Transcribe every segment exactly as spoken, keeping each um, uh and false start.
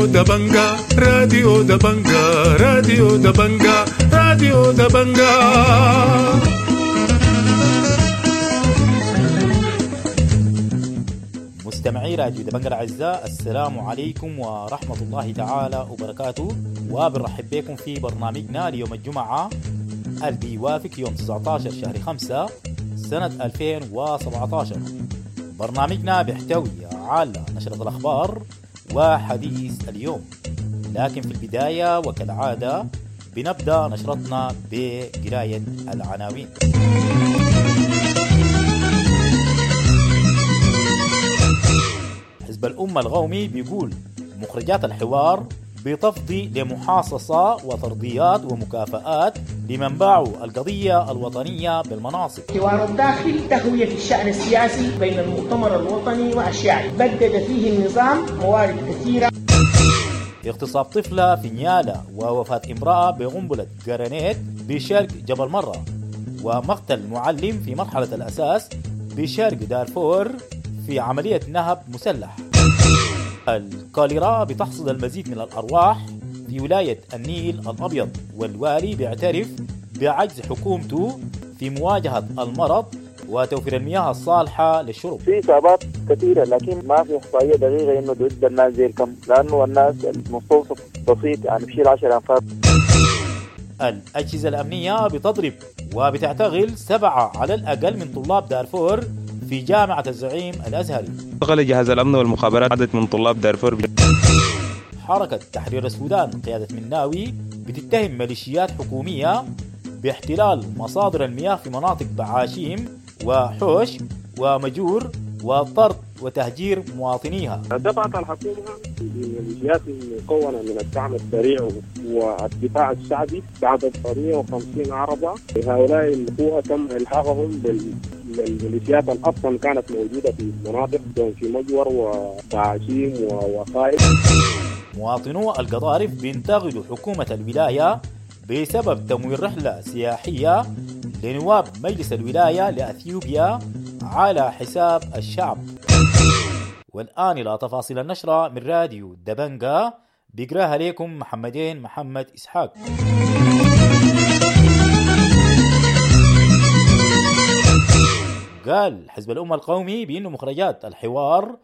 راديو دبنجا راديو دبنجا راديو دبنجا راديو دبنجا. مستمعي راديو دبنجا الأعزاء، السلام عليكم ورحمة الله تعالى وبركاته، وبنرحب بكم في برنامجنا ليوم الجمعة اللي بيوافق يوم تسعة عشر شهر خمسة سنة ألفين وسبعة عشر. برنامجنا بيحتوي على نشرة الأخبار وحديث اليوم، لكن في البداية وكالعادة بنبدأ نشرتنا بقراية العناوين. حزب الأمة القومي بيقول مخرجات الحوار بتفضي لمحاصصة وترضيات ومكافآت لمن باعوا القضية الوطنية بالمناصب. حوار الداخل تهوية في الشأن السياسي بين المؤتمر الوطني والشيعي، بدد فيه النظام موارد كثيرة. اغتصاب طفلة في نيالا ووفاة امرأة بقنبلة جرانيت بشرق جبل مرة، ومقتل معلم في مرحلة الأساس بشرق دارفور في عملية نهب مسلح. الكوليرا بتحصد المزيد من الأرواح في ولاية النيل الأبيض، والوالي بيعترف بعجز حكومته في مواجهة المرض وتوفير المياه الصالحة للشرب. في إصابات كثيرة لكن ما في إحصائية دقيقة إنه ضد الناس زي الكم، لأنه الناس المستوصف بسيط يعني بشيل عشر أنفار. الأجهزة الأمنية بتضرب وبتعتقل سبعة على الأقل من طلاب دارفور في جامعة الزعيم الأزهري. اعتقل جهاز الأمن والمخابرات عدد من طلاب دارفور. حركة تحرير السودان قيادة مناوي بتتهم ميليشيات حكومية باحتلال مصادر المياه في مناطق بعاشيم وحوش ومجور وطرد وتهجير مواطنيها. دفعت الحكومة بميليشيات مكونة من الدعم السريع والدفاع الشعبي بعدد مئة وخمسين عربة. هؤلاء القوة تم إلحاقهم بال الميليشيات أصلا كانت موجودة في مناطق في مجور وبعاشيم وخائف. مواطنو القضارف بينتقدوا حكومة الولاية بسبب تمويل رحلة سياحية لنواب مجلس الولاية لأثيوبيا على حساب الشعب. والآن إلى تفاصيل النشرة من راديو دبنجا، بيقراها لكم محمدين محمد إسحاق. قال حزب الأمة القومي بأن مخرجات الحوار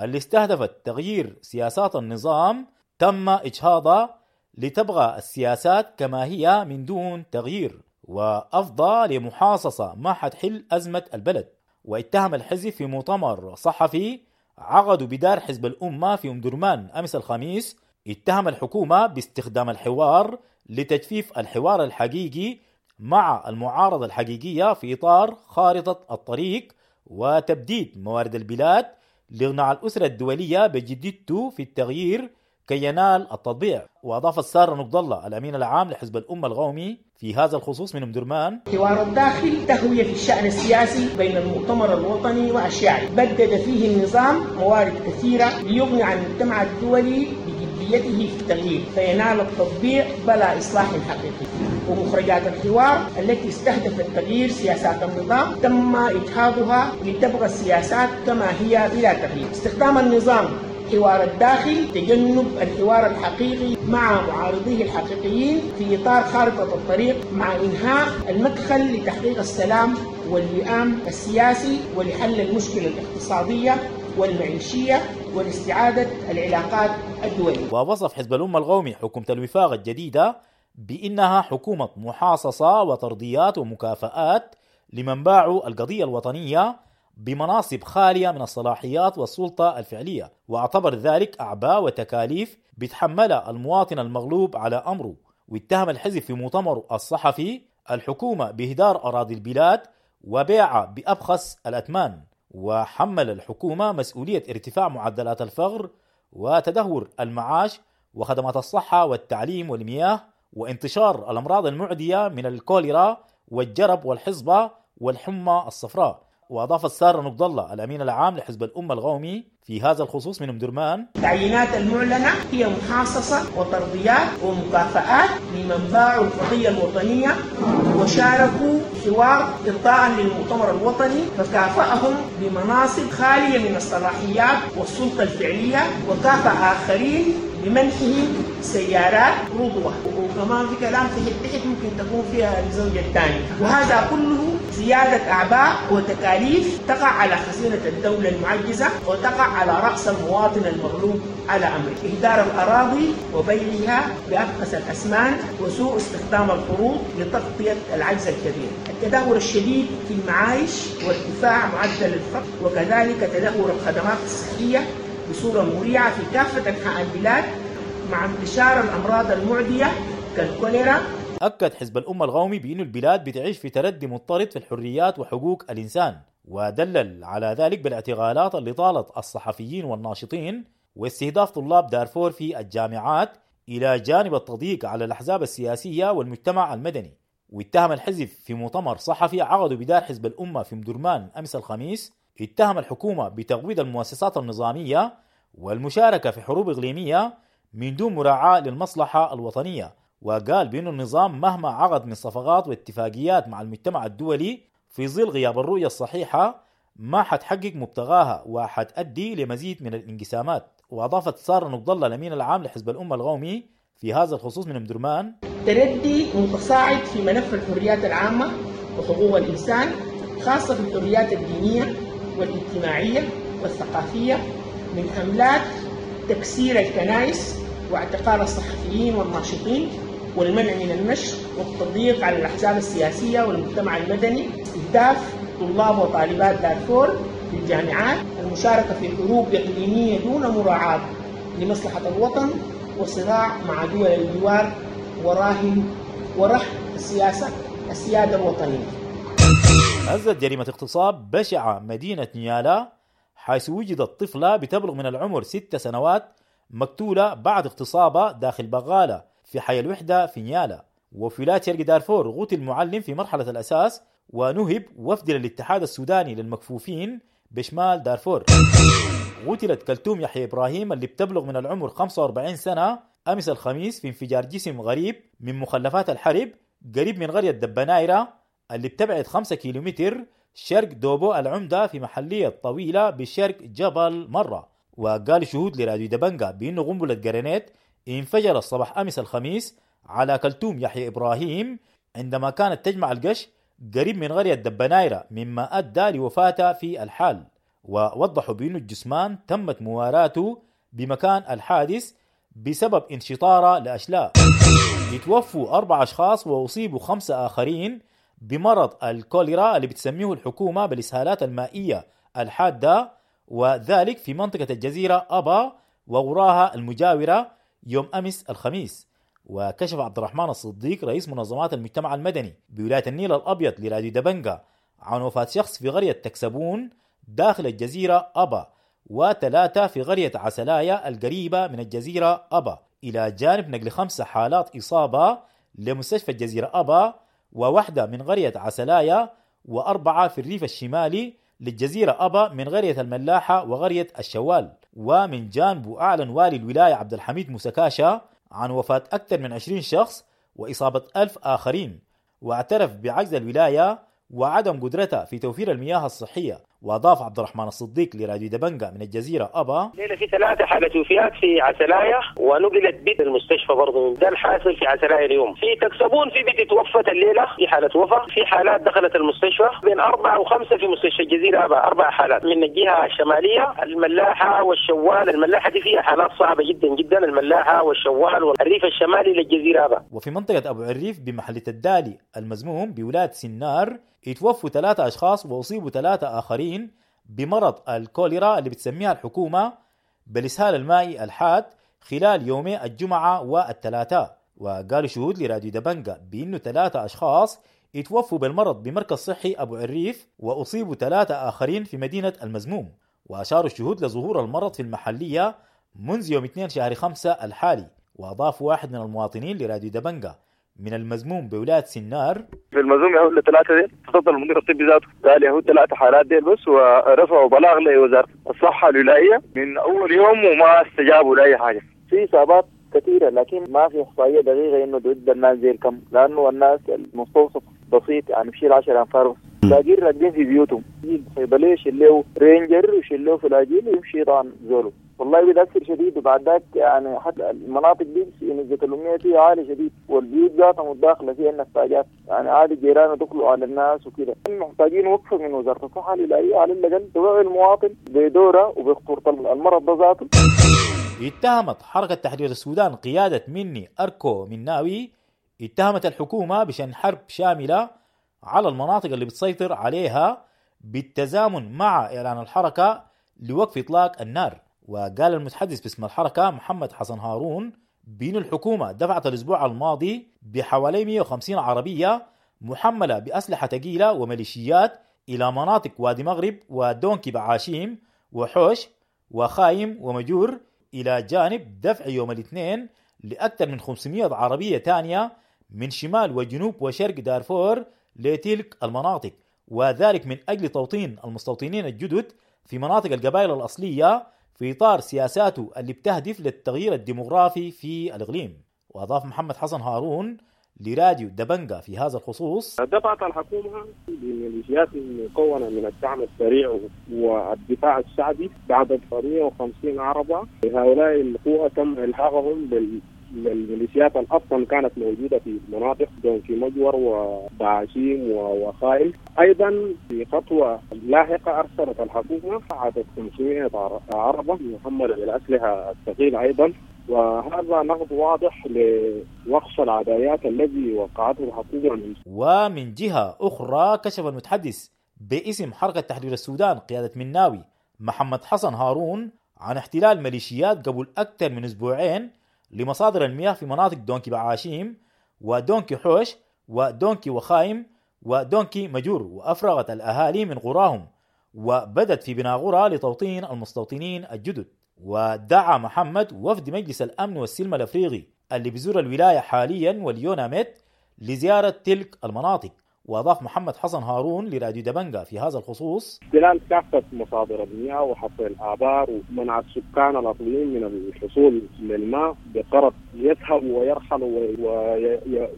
اللي استهدفت تغيير سياسات النظام تم إجهاضها لتبغى السياسات كما هي من دون تغيير، وأفضى لمحاصصة ما حتحل أزمة البلد. واتهم الحزب في مؤتمر صحفي عقدوا بدار حزب الأمة في أم درمان أمس الخميس، اتهم الحكومة باستخدام الحوار لتجفيف الحوار الحقيقي مع المعارضة الحقيقية في إطار خارطة الطريق وتبديد موارد البلاد لإغناء الأسرة الدولية بجديته في التغيير كي ينال التطبيع. وأضاف السارة نقد الله الأمين العام لحزب الأمة القومي في هذا الخصوص من أم درمان: حوار الداخل تهوية في الشأن السياسي بين المؤتمر الوطني والشيعي، بدد فيه النظام موارد كثيرة ليغني عن المجتمع الدولي بجديته في التغيير فينال التطبيع بلا إصلاح حقيقي. ومخرجات الحوار التي استهدفت تغيير سياسات النظام تم إجهاضها لتبقى السياسات كما هي بلا تغيير. استخدام النظام حوار الداخل تجنب الحوار الحقيقي مع معارضيه الحقيقيين في إطار خارطة الطريق، مع إنهاء المدخل لتحقيق السلام والوئام السياسي ولحل المشكلة الاقتصادية والمعيشية ولاستعادة العلاقات الدولية. ووصف حزب الأمة القومي حكومة الوفاق الجديدة بأنها حكومة محاصصة وترضيات ومكافآت لمن باعوا القضية الوطنية بمناصب خالية من الصلاحيات والسلطة الفعلية، واعتبر ذلك أعباء وتكاليف بيتحملها المواطن المغلوب على أمره. واتهم الحزب في مؤتمره الصحفي الحكومة بإهدار أراضي البلاد وبيعها بأبخس الأثمان، وحمل الحكومة مسؤولية ارتفاع معدلات الفقر وتدهور المعاش وخدمات الصحة والتعليم والمياه وانتشار الأمراض المعدية من الكوليرا والجرب والحصبة والحمى الصفراء. وأضاف السارة نقد الله الأمين العام لحزب الأمة القومي في هذا الخصوص من أم درمان: التعيينات المعلنة هي محاصصة وترضيات ومكافآت لمن باعوا القضية الوطنية وشاركوا حوار إرضاء للمؤتمر الوطني، فكافأهم بمناصب خالية من الصلاحيات والسلطة الفعلية، وكافأ آخرين بمنحهم سيارات رضوة، وكمان في كلام تحت تحت ممكن تكون فيها الزوجة الثانية، وهذا كله زيادة أعباء وتكاليف تقع على خزينة الدولة المعجزة وتقع على رأس المواطن المغلوب على أمره. إهدار الأراضي وبيعها بأبخس الأثمان وسوء استخدام القروض لتغطية العجز الكبير، التدهور الشديد في المعايش وارتفاع معدل الفقر، وكذلك تدهور الخدمات الصحية بصورة مريعة في كافة أنحاء البلاد مع انتشار الأمراض المعدية كالكوليرا. أكد حزب الأمة القومي بأن البلاد بتعيش في تردي مضطرد في الحريات وحقوق الإنسان، ودلل على ذلك بالاعتقالات اللي طالت الصحفيين والناشطين واستهداف طلاب دارفور في الجامعات، إلى جانب التضييق على الأحزاب السياسية والمجتمع المدني. واتهم الحزب في مؤتمر صحفي عقده بدار حزب الأمة في مدرمان أمس الخميس، اتهم الحكومة بتقويض المؤسسات النظامية والمشاركة في حروب إقليمية من دون مراعاة للمصلحة الوطنية، وقال بأن النظام مهما عقد من صفقات واتفاقيات مع المجتمع الدولي في ظل غياب الرؤية الصحيحة ما حتحقق مبتغاها وحتأدي لمزيد من الانقسامات. وأضافت سارة نقد الله الأمين العام لحزب الأمة القومي في هذا الخصوص من مدرمان: تردي متصاعد في ملف الحريات العامة وحقوق الإنسان، خاصة في الحريات الدينية والاجتماعية والثقافية، من حملات تكسير الكنائس واعتقال الصحفيين والناشطين والمنع من النشر والتضييق على الأحزاب السياسية والمجتمع المدني، استهداف طلاب وطالبات دارفور في الجامعات، المشاركة في حروب إقليمية دون مراعاة لمصلحة الوطن، وصراع مع دول الجوار وراهن ورهن السياسة السيادة الوطنية. هزت جريمة اغتصاب بشعة مدينة نيالا، حيث وجدت طفلة بتبلغ من العمر ست سنوات مقتولة بعد اغتصابها داخل بغالة في حي الوحدة في نيالا. وفي ولاية شرق دارفور غوتي المعلم في مرحلة الأساس ونهب وفد للاتحاد السوداني للمكفوفين بشمال دارفور. قتلت كلثوم يحيى إبراهيم اللي بتبلغ من العمر خمسة وأربعين سنة أمس الخميس في انفجار جسم غريب من مخلفات الحرب قريب من قرية دبنايرة اللي بتبعد خمسة كيلومتر شرق دوبو العمدة في محلية طويلة بشرق جبل مرة. وقال شهود لراديو دبنجا بأنه قنبلة جرانيت انفجر الصباح أمس الخميس على كلثوم يحيى إبراهيم عندما كانت تجمع القش قريب من قرية دبنايرة، مما أدى لوفاتها في الحال. ووضحوا بأن الجثمان تمت مواراته بمكان الحادث بسبب انشطاره لأشلاء. يتوفوا أربع أشخاص وأصيبوا خمسة آخرين بمرض الكوليرا اللي بتسميه الحكومة بالإسهالات المائية الحادة، وذلك في منطقة الجزيرة أبا وغراها المجاورة يوم أمس الخميس. وكشف عبد الرحمن الصديق رئيس منظمات المجتمع المدني بولاية النيل الأبيض لراديو دبنجا عن وفاة شخص في قرية تكسبون داخل الجزيرة أبا، وثلاثة في قرية عسلايا القريبة من الجزيرة أبا، إلى جانب نقل خمسة حالات إصابة لمستشفى الجزيرة أبا، وواحدة من قرية عسلايا، وأربعة في الريف الشمالي للجزيرة أبا من قرية الملاحة وقرية الشوال. ومن جانبه أعلن والي الولاية عبد الحميد موسى عن وفاة أكثر من عشرين شخص وإصابة ألف آخرين، واعترف بعجز الولاية وعدم قدرتها في توفير المياه الصحية. وأضاف عبد الرحمن الصديق لراديو دبنجا من الجزيرة أبا: الليلة في ثلاثة حالة وفيات في عسلايا ونقلت بيت المستشفى برضه، ده الحاصل في عسلايا اليوم. في تكسبون في بيت توفت الليلة في حالة وفاة، في حالات دخلت المستشفى بين أربعة وخمسة في مستشفى الجزيرة أبا، أربع حالات من الجهة الشمالية الملاحة والشوال. الملاحة دي فيها حالات صعبة جدا جدا، الملاحة والشوال والريف الشمالي للجزيرة أبا. وفي منطقة أبو عريف بمحلة الدالي المزموم بولاية سنار اتوفوا ثلاثة أشخاص وأصيبوا ثلاثة آخرين بمرض الكوليرا اللي بتسميها الحكومة بالإسهال المائي الحاد خلال يومي الجمعة والثلاثاء. وقالوا شهود لراديو دبنجا بأنه ثلاثة أشخاص اتوفوا بالمرض بمركز صحي أبو عريف وأصيبوا ثلاثة آخرين في مدينة المزموم. وأشاروا الشهود لظهور المرض في المحلية منذ يوم اثنين شهر خمسة الحالي. وأضاف واحد من المواطنين لراديو دبنجا من المزموم بولاية سنار: في المزموم يهود لثلاثة ديل، تصدر المدير الطبي ذاته قال يهود ثلاثة حالات ديل بس، ورفعوا بلاغ لوزارة الصحة الولائية من أول يوم وما استجابوا لأي حاجة. في إصابات كثيرة لكن ما في إحصائية دقيقة إنه ضد الناس زي الكم، لأنه الناس المستوصف بسيط يعني بشيل عشرة أنفار بس، لاقين راكبين في بيوتهم، يجي الصيدلية يشيل له رينجر ويشيل له فلاجيل ويمشي طبعا زوله. والله بيتاثر شديد. وبعد ذاك يعني حتى المناطق دي نسبه الامية فيها عالية شديد، والبيوت ذاتها متداخلة فيها النفاجات، يعني عادي الجيران يدخلوا على الناس وكده. محتاجين وقفه من وزارة الصحة الولاية على الاقل توعي المواطن بدوره وبخطوره المرض ده ذاته. اتهمت حركة تحرير السودان قيادة مني أركو مناوي اتهمت الحكومة بشن حرب شاملة على المناطق اللي بتسيطر عليها بالتزامن مع إعلان الحركة لوقف إطلاق النار. وقال المتحدث باسم الحركة محمد حسن هارون بأن الحكومة دفعت الأسبوع الماضي بحوالي مئة وخمسين عربية محملة بأسلحة ثقيلة وميليشيات إلى مناطق وادي مغرب ودونكي بعاشيم وحوش وخايم ومجور، إلى جانب دفع يوم الاثنين لأكثر من خمسمئة عربية تانية من شمال وجنوب وشرق دارفور لتلك المناطق، وذلك من أجل توطين المستوطنين الجدد في مناطق القبائل الأصلية في إطار سياساته اللي بتهدف للتغيير الديموغرافي في الإقليم. وأضاف محمد حسن هارون لراديو دبنجا في هذا الخصوص: دفعت الحكومة بميليشيات مكونة من الدعم السريع والدفاع الشعبي بعدد مئة وخمسين عربة. هؤلاء القوة تم إلحاقهم بال الميليشيات اصلا كانت موجودة في مناطق دونكي مجور وبعاشيم وخائل. ايضا في خطوة لاحقة ارسلت الحكومة عدد خمسمئة عربه محمله بالاسلحة الثقيلة ايضا، وهذا نقد واضح لوقف العدايات الذي وقعته الحكومة. من ومن جهة اخرى كشف المتحدث باسم حركة تحرير السودان قيادة مناوي محمد حسن هارون عن احتلال ميليشيات قبل اكثر من اسبوعين لمصادر المياه في مناطق دونكي بعاشيم ودونكي حوش ودونكي وخايم ودونكي مجور، وأفرغت الأهالي من قراهم وبدت في بناء قرى لتوطين المستوطنين الجدد. ودعا محمد وفد مجلس الأمن والسلم الأفريقي اللي بيزور الولاية حاليا واليوناميت لزيارة تلك المناطق. وأضاف محمد حسن هارون لراديو دبنجا في هذا الخصوص: احتلال كافة مصادر المياه وحفر الآبار ومنع السكان الأصليين من الحصول للماء بقرض يذهبوا ويرحلوا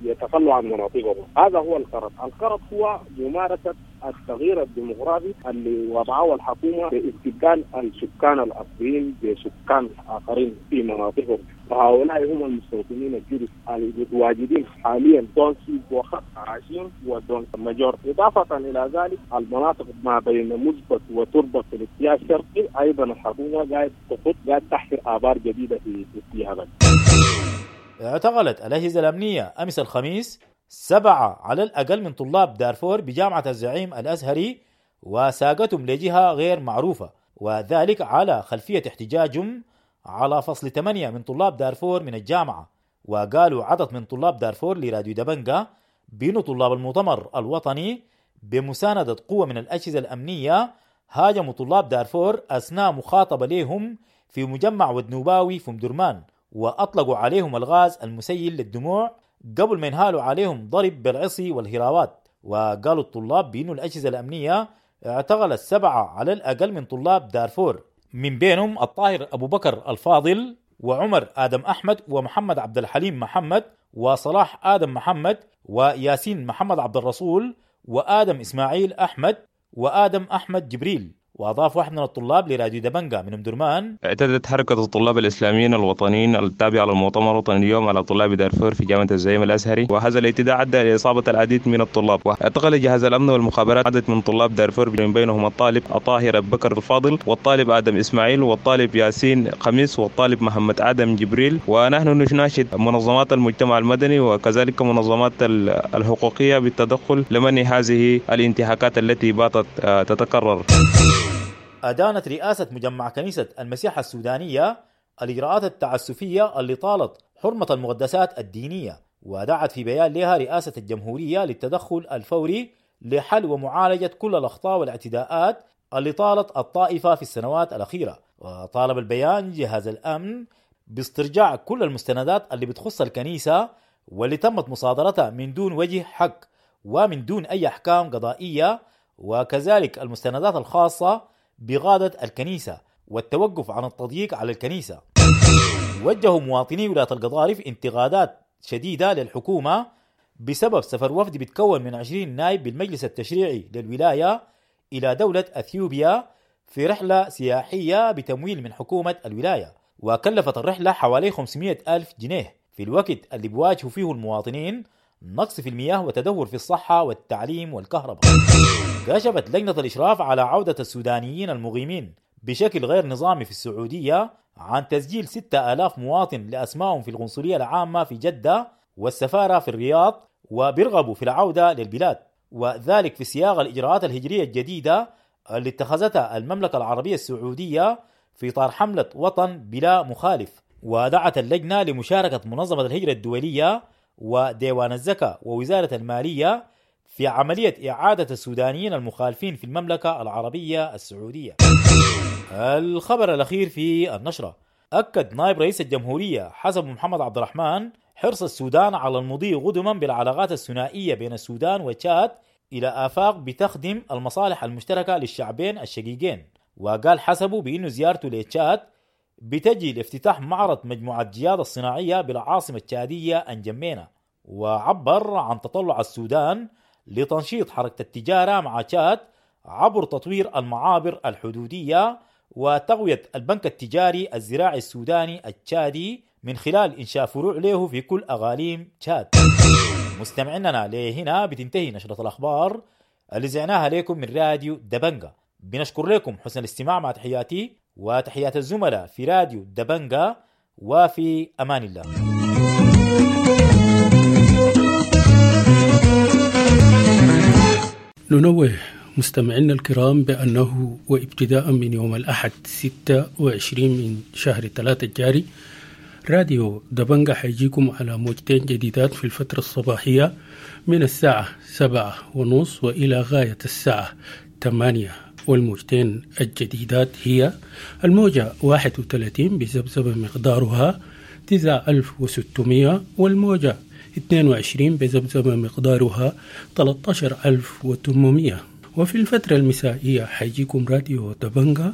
ويتخلوا عن مناطقهم. هذا هو القرض. القرض هو ممارسة التغيير الديموغرافي اللي وضعه الحكومة باستبدال السكان الأصليين بسكان آخرين في مناطقهم، وهؤلاء هم المستوطنين الجدد المتواجدين حاليا دونكي وعاشين ودونكي ماجور. إضافة إلى ذلك المناطق ما بين مزبط وتربة في الاتجاه الشرقي أيضا الحكومة قاعد تخط قاعد تحفر آبار جديدة في اتجاه. اعتقلت الأجهزة الأمنية أمس الخميس سبعة على الأقل من طلاب دارفور بجامعة الزعيم الأزهري وساقتهم لجهة غير معروفة، وذلك على خلفية احتجاجهم على فصل ثمانية من طلاب دارفور من الجامعة. وقالوا عدد من طلاب دارفور لراديو دبنجا بأن طلاب المؤتمر الوطني بمساندة قوة من الأجهزة الأمنية هاجموا طلاب دارفور أثناء مخاطبة لهم في مجمع ودنوباوي في مدرمان، وأطلقوا عليهم الغاز المسيل للدموع قبل ما ينهالوا عليهم ضرب بالعصي والهراوات. وقالوا الطلاب بأن الأجهزة الأمنية اعتقلت سبعة على الأقل من طلاب دارفور، من بينهم الطاهر أبو بكر الفاضل وعمر آدم أحمد ومحمد عبد الحليم محمد وصلاح آدم محمد وياسين محمد عبد الرسول وآدم إسماعيل أحمد وآدم أحمد جبريل. وأضاف واحد من الطلاب لراديو دبنجا من أمدرمان: اعتدت حركة الطلاب الإسلاميين الوطنيين التابعة للمؤتمر الوطني اليوم على طلاب دارفور في جامعة الزعيم الأزهري، وهذا الاعتداء أدى لإصابة العديد من الطلاب. واعتقل جهاز الأمن والمخابرات عدد من طلاب دارفور من بينهم الطالب الطاهر أبو بكر الفاضل والطالب آدم إسماعيل والطالب ياسين خميس والطالب محمد آدم جبريل. ونحن نناشد منظمات المجتمع المدني وكذلك منظمات الحقوقية بالتدخل لمنع هذه الانتهاكات التي باتت تتكرر. أدانت رئاسة مجمع كنيسة المسيح السودانية الإجراءات التعسفية اللي طالت حرمة المقدسات الدينية، ودعت في بيان لها رئاسة الجمهورية للتدخل الفوري لحل ومعالجة كل الأخطاء والاعتداءات اللي طالت الطائفة في السنوات الأخيرة. وطالب البيان جهاز الأمن باسترجاع كل المستندات اللي بتخص الكنيسة واللي تمت مصادرتها من دون وجه حق ومن دون أي أحكام قضائية، وكذلك المستندات الخاصة بغادة الكنيسة والتوقف عن التضييق على الكنيسة. وجهوا مواطني ولاية القضارف انتقادات شديدة للحكومة بسبب سفر وفد بيتكون من عشرين نائب بالمجلس التشريعي للولاية إلى دولة أثيوبيا في رحلة سياحية بتمويل من حكومة الولاية، وكلفت الرحلة حوالي خمسمائة ألف جنيه في الوقت اللي بيواجهوا فيه المواطنين نقص في المياه وتدهور في الصحة والتعليم والكهرباء. كشفت لجنة الإشراف على عودة السودانيين المقيمين بشكل غير نظامي في السعودية عن تسجيل ستة آلاف مواطن لأسمائهم في القنصلية العامة في جدة والسفارة في الرياض، وبيرغبوا في العودة للبلاد، وذلك في سياق الإجراءات الهجرية الجديدة اللي اتخذتها المملكة العربية السعودية في إطار حملة وطن بلا مخالف. ودعت اللجنة لمشاركة منظمة الهجرة الدولية وديوان الزكاة ووزارة المالية في عملية إعادة السودانيين المخالفين في المملكة العربية السعودية. الخبر الأخير في النشرة: أكد نائب رئيس الجمهورية حسب محمد عبد الرحمن حرص السودان على المضي قدما بالعلاقات الثنائية بين السودان وتشاد إلى آفاق بتخدم المصالح المشتركة للشعبين الشقيقين. وقال حسبه بأنه زيارته لتشاد بتجي لافتتاح معرض مجموعة جياد الصناعية بالعاصمة التشادية أنجمينا، وعبر عن تطلع السودان لتنشيط حركة التجارة مع تشاد عبر تطوير المعابر الحدودية وتقوية البنك التجاري الزراعي السوداني التشادي من خلال إنشاء فروع له في كل أغاليم تشاد. مستمعيننا لهنا بتنتهي نشرة الأخبار اللي زعناها لكم من راديو دبنجا. بنشكر لكم حسن الاستماع، مع تحياتي وتحيات الزملاء في راديو دبنجا، وفي أمان الله. ننوه مستمعينا الكرام بأنه وابتداء من يوم الأحد ستة وعشرين من شهر ثلاثة الجاري راديو دبنجا حيجيكم على موجتين جديدات في الفترة الصباحية من الساعة سبعة ونص وإلى غاية الساعة ثمانية، والموجتين الجديدات هي الموجة واحد وثلاثين بذبذبة مقدارها تسعة آلاف وستمائة، والموجة اثنين وعشرين بذبذبة مقدارها ثلاثة عشر ألف وثمانمائة. وفي الفترة المسائية حيجيكم راديو دبنجا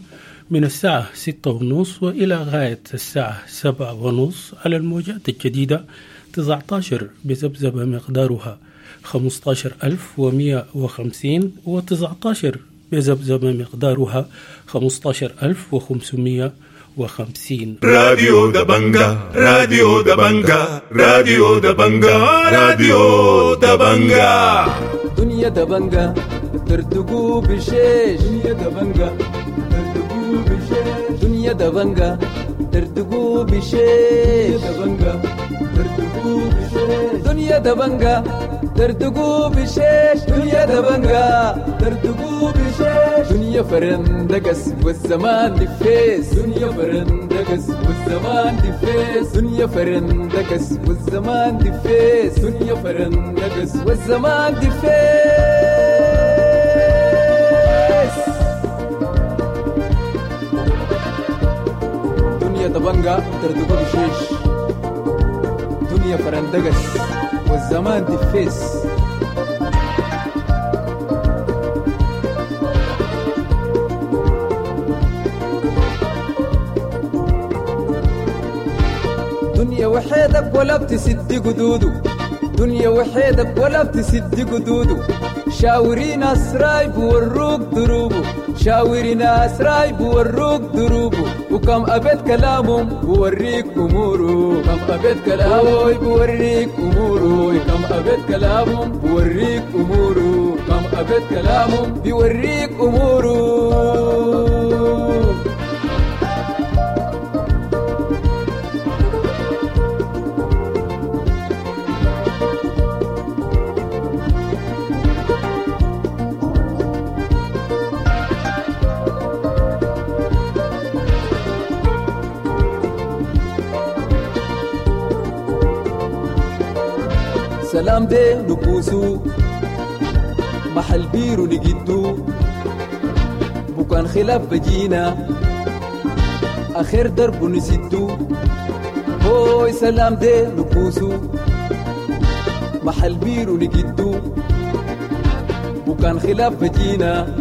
من الساعة ستة ونص وإلى غاية الساعة سبعة ونص على الموجات الجديدة تسعة عشر بذبذبة مقدارها خمسة عشر ألف ومئة وخمسين، وتسعة عشر بذبذبة مقدارها خمسة عشر ألف وخمسمائة وخمسين. راديو دبنجا، راديو دبنجا، راديو دبنجا، راديو دبنجا. دنيا دبنجا تردقوا بشيش، دنيا دبنجا تردقوا بشيش، دنيا دبنجا تردقوا بشيش، دبنجا تردقوا بشيش، دنيا دبنجا تردقوا بشيش، دنيا دبنجا تردقوا بشيش، دنيا فرندقس والزمان دفيس، دنيا فرندقس والزمان دفيس، دنيا فرندقس والزمان دفيس، دنيا فرندقس والزمان دفيس. دنيا دبنجا تردقوا بشيش، دنيا فرندقس والزمان دفيس. دنيا وحيدك ولا بتسد قدوده، دنيا وحيدك ولا بتسد قدوده، شاوري ناس رايب وروك دروبه، شاوري ناس رايب وروك دروبه، وكم أبيت كلامهم بوريك أموره، كم أبيت كلامهم بوريك أموره، كم أبيت كلامهم بوريك أموره، كم أبيت كلامهم بيوريك أموره. سلام دي نكوسو محل بيرو نجدو، بكان خلاف بجينا آخر درب نسدو، هوي سلام دي نكوسو محل بيرو نجدو، بكان خلاف بجينا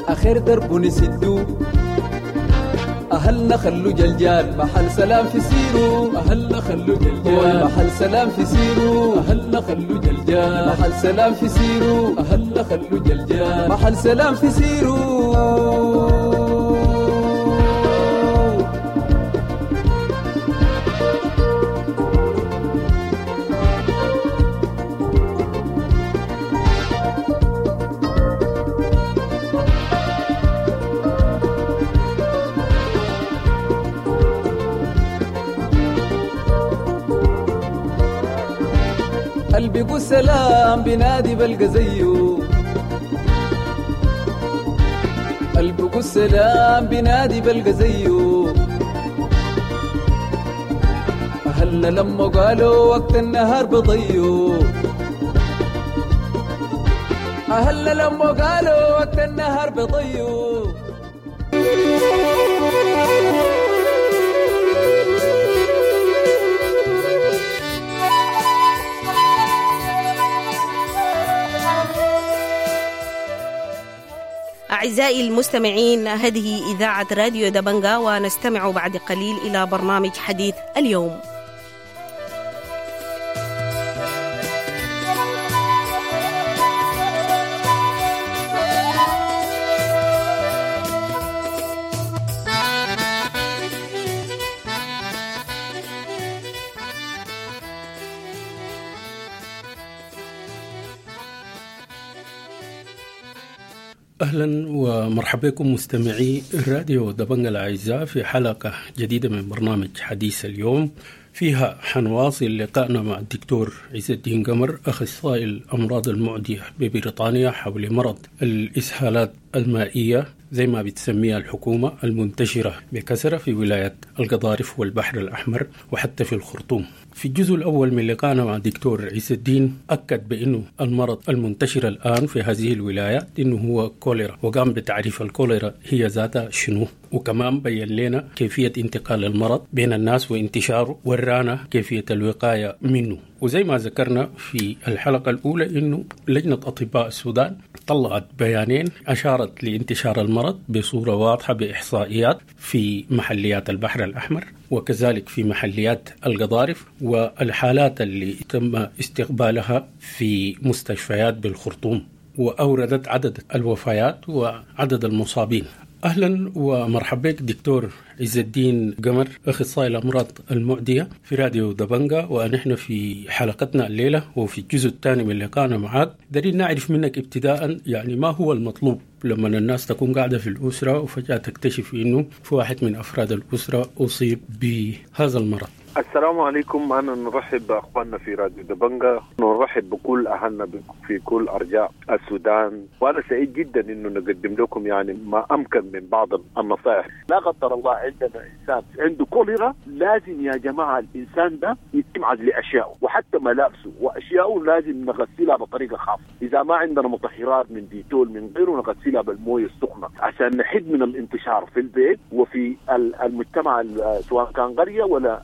آخر درب نسدو، أهلنا خلو جلجال محل سلام في سيرو، أهلنا خلو جلجال محل سلام في سيرو، أهلنا خلو جلجال محل سلام في سيرو، أهلنا خلو جلجال محل سلام في سيرو. البقوا السلام بنادي بلقى زيه، البقوا السلام بنادي بلقى زيه. أهلنا لما قالوا وقت النهار بضيو، أهلنا لما قالوا وقت النهار بضيو. أعزائي المستمعين، هذه إذاعة راديو دبنجا، ونستمع بعد قليل إلى برنامج حديث اليوم. أهلا ومرحبا بكم مستمعي الراديو دبنجا الأعزاء في حلقة جديدة من برنامج حديث اليوم، فيها حنواصل لقائنا مع الدكتور عز الدين قمر أخصائي الأمراض المعدية ببريطانيا حول مرض الإسهالات المائية زي ما بتسميها الحكومة المنتشرة بكثرة في ولاية القضارف والبحر الأحمر وحتى في الخرطوم. في الجزء الأول من لقائنا مع الدكتور عز الدين أكد بأنه المرض المنتشر الآن في هذه الولايات إنه هو كوليرا، وقام بتعريف الكوليرا هي ذاتها شنو، وكمان بين لنا كيفية انتقال المرض بين الناس وانتشاره، ورانا كيفية الوقاية منه. وزي ما ذكرنا في الحلقة الأولى إنه لجنة أطباء السودان طلعت بيانين أشارت لانتشار المرض بصورة واضحة بإحصائيات في محليات البحر الأحمر وكذلك في محليات القضارف، والحالات اللي تم استقبالها في مستشفيات بالخرطوم، وأوردت عدد الوفيات وعدد المصابين. أهلا ومرحبا بك دكتور عز الدين قمر أخصائي الأمراض المعدية في راديو دبنجا، ونحن في حلقتنا الليلة وفي الجزء الثاني من لقائنا معك دارين نعرف منك ابتداء يعني ما هو المطلوب لما الناس تكون قاعدة في الأسرة وفجأة تكتشف إنه في واحد من أفراد الأسرة أصيب بهذا المرض. السلام عليكم، أنا نرحب بأخواننا في راديو دبنجا، نرحب بكل أهلنا في كل أرجاء السودان، وأنا سعيد جدا إنه نقدم لكم يعني ما أمكن من بعض النصائح. لا قدر الله عندنا إنسان عنده كوليرا، لازم يا جماعة الإنسان ده يتم عزل أشياءه وحتى ملابسه وأشياءه لازم نغسلها بطريقة خاصة. إذا ما عندنا مطهرات من ديتول من غيره نغسلها بالمويه السخنة عشان نحد من الانتشار في البيت وفي المجتمع سواء كان قرية ولا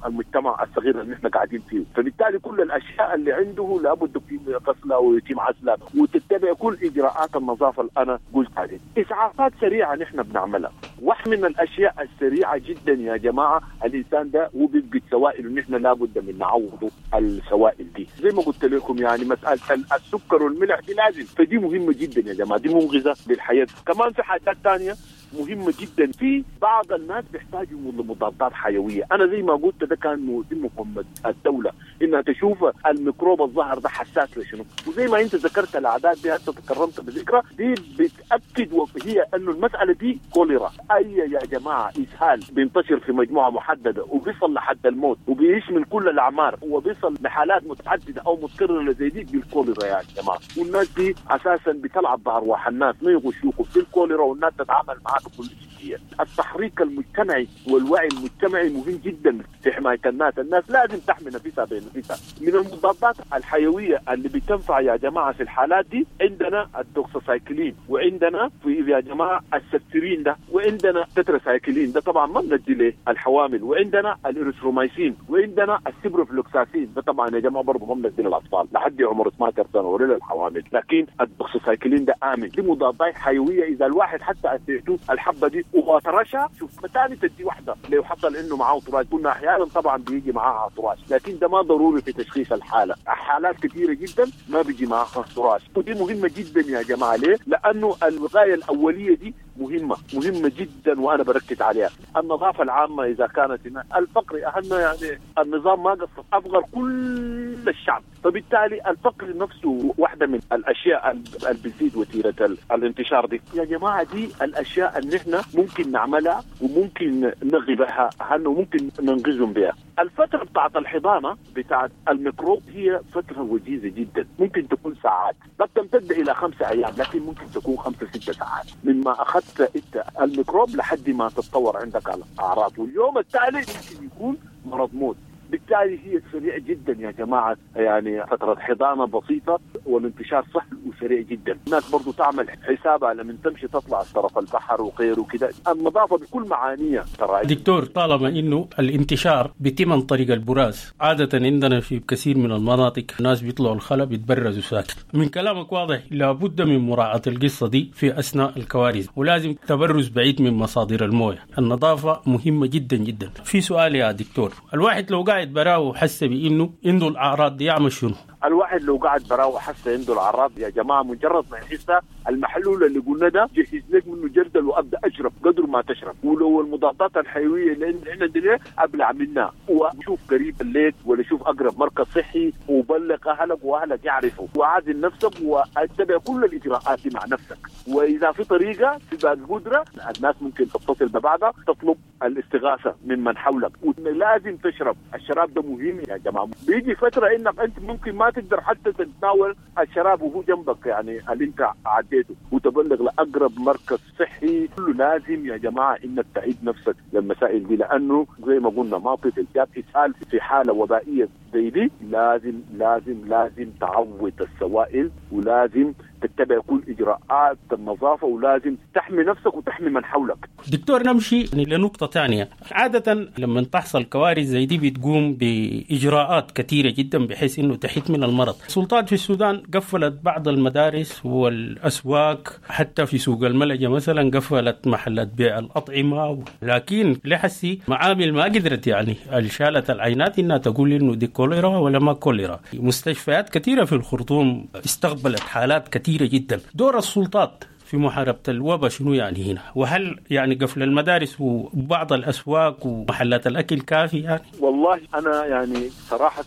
المجتمع الصغير اللي احنا قاعدين فيه. فبالتالي كل الاشياء اللي عنده لابد في غسلها ويتم عزلها وتتبع كل اجراءات النظافه اللي انا قلت عليها. اسعافات سريعه نحن بنعملها، واحد من الاشياء السريعه جدا يا جماعه الانسان ده هو بيفقد سوائل ونحن لابد من نعوضه السوائل دي. زي ما قلت لكم يعني مساله السكر والملح دي لازم، فدي مهمه جدا يا جماعه، دي منغذه للحياه. كمان في حاجات ثانيه مهمة جدا، في بعض الناس بيحتاجوا لمضادات حيوية. أنا زي ما قلت ده كان مهمة الدولة إنها تشوف الميكروب الظاهر ده حساس لشنو، وزي ما أنت ذكرت الأعداد دي هسه تكرمت بذكرى دي بتأكد وهي أنه المسألة دي كوليرا. أي يا جماعة إسهال بينتشر في مجموعة محددة وبيصل لحد الموت وبيشمل كل الأعمار وبيصل لحالات متعددة أو متكررة زي دي بالكوليرا يا جماعة. والناس دي أساسا بتلعب بأرواح الناس، ما يغشوكم في الكوليرا والناس تتعامل معاك بكل جدية. التحريك المجتمعي والوعي المجتمعي مهم جدا في حماية الناس، الناس لازم تحمي نفسها بنفسها. من المضادات الحيوية اللي بتنفع يا جماعة في الحالات دي عندنا الدوكساسايكلين، وعندنا في يا جماعة السبترين ده، وعندنا تتراسايكلين ده طبعا ما بندي ليه الحوامل، وعندنا الاريثرومايسين، وعندنا السيبروفلوكساسين ده طبعا يا جماعة برضه ما بندي للأطفال لحد عمر اثني عشر سنة ولا للحوامل، لكن الدوكساسايكلين ده آمن. دي مضادات حيوية إذا الواحد حتى أديته الحبة دي وطرشها شوف ثاني تدي واحدة لو حصل انه معاه طراش، كنا احيانا طبعا بيجي معاها طراش لكن ده ما ضروري في تشخيص الحالة، حالات كثيرة جدا ما بيجي معاها طراش، ودي مهمة جدا يا جماعة. ليه؟ لأنه الوقاية الأولية دي مهمة مهمة جدا وأنا بركز عليها. النظافة العامة إذا كانت هنا، الفقر أهلنا يعني النظام ما قصر أفقر كل الشعب، فبالتالي الفقر نفسه واحدة من الأشياء اللي بتزيد وتيرة الانتشار دي يا جماعة. دي الأشياء اللي احنا ممكن نعملها وممكن نغي بها أهلنا وممكن ننقذهم بها. الفترة بتاعت الحضانة بتاعت الميكروب هي فترة وجيزة جدا، ممكن تكون ساعات، قد تمتد الى خمسة ايام، لكن ممكن تكون خمسة ستة ساعات مما اخذت انت الميكروب لحد ما تتطور عندك الاعراض، واليوم التالي ممكن يكون مرض موت. بالتالي هي سريع جدا يا جماعة، يعني فترة حضانة بسيطة والانتشار سهل وسريع جدا. الناس برضو تعمل حسابها لما تمشي تطلع طرف البحر وغيره كده، النظافة بكل معانيها. ترى دكتور، طالما انه الانتشار بيتم عن طريق البراز، عادة عندنا في كثير من المناطق الناس بيطلعوا الخلا بيتبرزوا ساكت. من كلامك واضح لابد من مراعاة القصة دي في اثناء الكوارث، ولازم تبرز بعيد من مصادر المويه. النظافة مهمة جدا جدا. في سؤال يا دكتور، الواحد لو قاعد براو وحس بانه عنده الاعراض دي يعمل شنو؟ الواحد لو قاعد براو وحس عنده الاعراض يا جماعة، مجرد ما يحسها المحلول اللي قلنا ده جهز لك منه جردل وابدا اشرب قدر ما تشرب، ولو المضادات الحيوية اللي عندنا دي ابلع منها، وشوف قريب الليل ولا شوف اقرب مركز صحي وبلغ اهلك واهلك يعرفوا، وعازل نفسك واتبع كل الاجراءات دي مع نفسك. واذا في طريقه في باقي قدره الناس ممكن تتصل ببعضها تطلب الاستغاثة ممن حولك، ولازم تشرب الشراب ده مهم يا جماعة. بيجي فترة انك انت ممكن ما تقدر حتى تتناول الشراب وهو جنبك، يعني اللي انت عديته، وتبلغ لاقرب مركز صحي. كله لازم يا جماعة انك تعيد نفسك للمسائل دي، لانه زي ما قلنا ما طفل جاب اسهال في حاله وبائيه زي دي، لازم لازم لازم تعوض السوائل، ولازم تتبع كل اجراءات النظافة، ولازم تحمي نفسك وتحمي من حولك. دكتور، نمشي لنقطة ثانية. عادة لما تحصل كوارث زي دي بتقوم باجراءات كثيرة جدا بحيث انه تحد من المرض. السلطات في السودان قفلت بعض المدارس والاسواق، حتى في سوق الملجا مثلا قفلت محلات بيع الاطعمة، لكن لحسي معامل ما قدرت يعني شالت العينات انها تقول انه دي كوليرا ولا ما كوليرا. مستشفيات كثيرة في الخرطوم استقبلت حالات كثيرة جدا. دور السلطات في محاربة الوباء شنو يعني هنا؟ وهل يعني قفل المدارس وبعض الأسواق ومحلات الأكل كافي يعني؟ والله أنا يعني صراحة